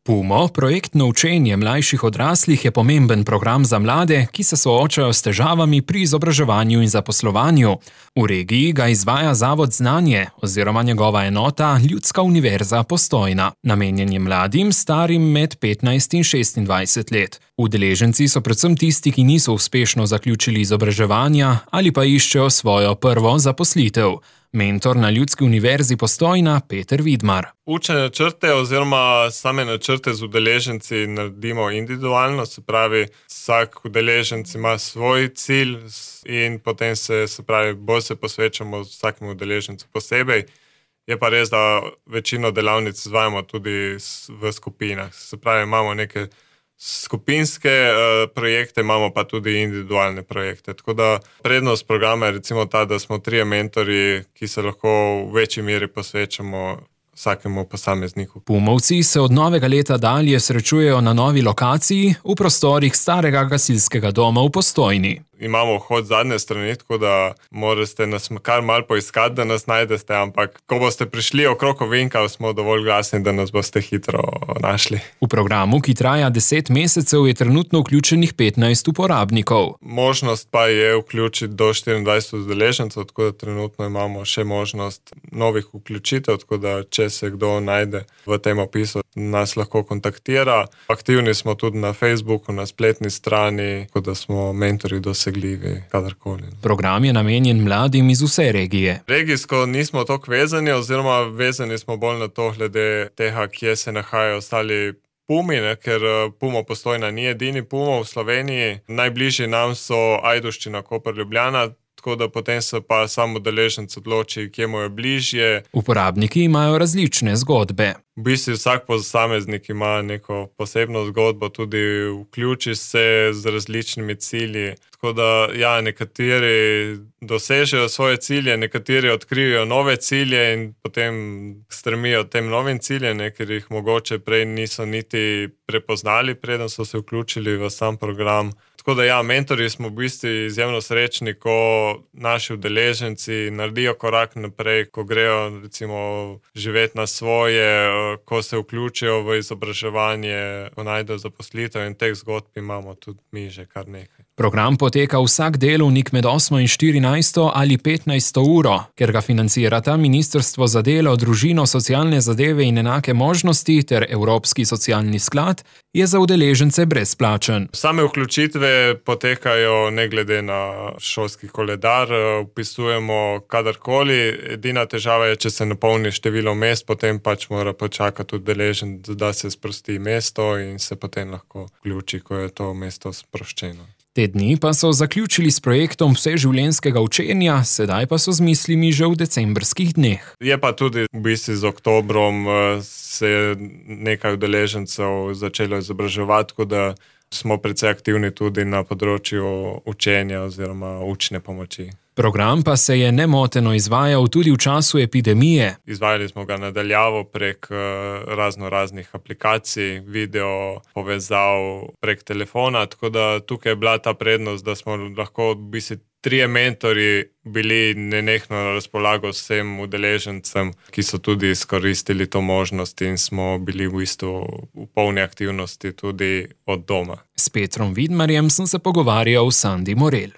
PUMO, projektno učenje mlajših odraslih, je pomemben program za mlade, ki se soočajo s težavami pri izobraževanju in zaposlovanju. V regiji ga izvaja Zavod Znanje oziroma njegova enota Ljudska univerza Postojna. Namenjen je mladim, starim med 15 in 26 let. Udeleženci so predvsem tisti, ki niso uspešno zaključili izobraževanja ali pa iščejo svojo prvo zaposlitev. Mentor na Ljudski univerzi Postojna Peter Vidmar. Učne načrte oziroma same načrte z udeleženci naredimo individualno, se pravi, vsak udeleženc ima svoj cilj in potem bolj se posvečamo vsakemu udeležencu posebej. Je pa res, da večino delavnic izvajamo tudi v skupinah, se pravi, imamo neke skupinske projekte, imamo pa tudi individualne projekte. Tako da prednost programa je recimo ta, da smo 3 mentorji, ki se lahko v večji meri posvečamo vsakemu posamezniku. PUMovci se od novega leta dalje srečujejo na novi lokaciji v prostorih starega gasilskega doma v Postojni. Imamo vhod zadnje strani, tako da morate nas kar malo poiskati, da nas najdete, ampak ko boste prišli okrog ovinka, smo dovolj glasni, da nas boste hitro našli. V programu, ki traja 10 mesecev, je trenutno vključenih 15 uporabnikov. Možnost pa je vključiti do 24 udeležencev, tako da trenutno imamo še možnost novih vključitev, tako da če se kdo najde v tem opisu, nas lahko kontaktira. Aktivni smo tudi na Facebooku, na spletni strani, tako da smo mentorji dosegljivi kadarkoli. Program je namenjen mladim iz vse regije. Regijsko nismo toliko vezani, oziroma vezani smo bolj na to glede tega, kje se nahajajo ostali PUMi, ker PUMO Postojna ni edini PUMO v Sloveniji. Najbližji nam so Ajdovščina, Koper, Ljubljana, tako da potem se pa sam udeleženec odloči, kje mu je bližje. Uporabniki imajo različne zgodbe. V bistvu vsak posameznik ima neko posebno zgodbo, tudi vključi se z različnimi cilji. Tako da nekateri dosežejo svoje cilje, nekateri odkrijejo nove cilje in potem stremijo tem novim ciljem, ker jih mogoče prej niso niti prepoznali, preden so se vključili v sam program. Tako da mentorji smo v bistvu izjemno srečni, ko naši udeleženci naredijo korak naprej, ko grejo recimo živeti na svoje, ko se vključijo v izobraževanje, ko najdejo zaposlitev, in teh zgodb imamo tudi mi že kar nekaj. Program poteka vsak delovnik med 8 in 14 ali 15 uro, ker ga financirata Ministrstvo za delo, družino, socialne zadeve in enake možnosti ter Evropski socialni sklad, je za udeležence brezplačen. Same vključitve potekajo ne glede na šolski koledar, vpisujemo kadarkoli. Edina težava je, če se napolni število mest, potem pač mora počakati udeleženec, da se sprosti mesto in se potem lahko vključi, ko je to mesto sproščeno. Te dni pa so zaključili s projektom vseživljenjskega učenja, sedaj pa so z mislimi že v decembrskih dneh. Je pa tudi v bistvu z oktobrom se je nekaj udeležencev začelo izobraževati, tako da smo precej aktivni tudi na področju učenja oziroma učne pomoči. Program pa se je nemoteno izvajal tudi v času epidemije. Izvajali smo ga nadaljavo prek raznih aplikacij, video povezav prek telefona, tako da tukaj je bila ta prednost, da smo lahko v bistvu 3 mentorji bili nenehno na razpolago vsem udeležencem, ki so tudi izkoristili to možnost, in smo bili v bistvu v polni aktivnosti tudi od doma. S Petrom Vidmarjem sem se pogovarjal s Sandi Morel.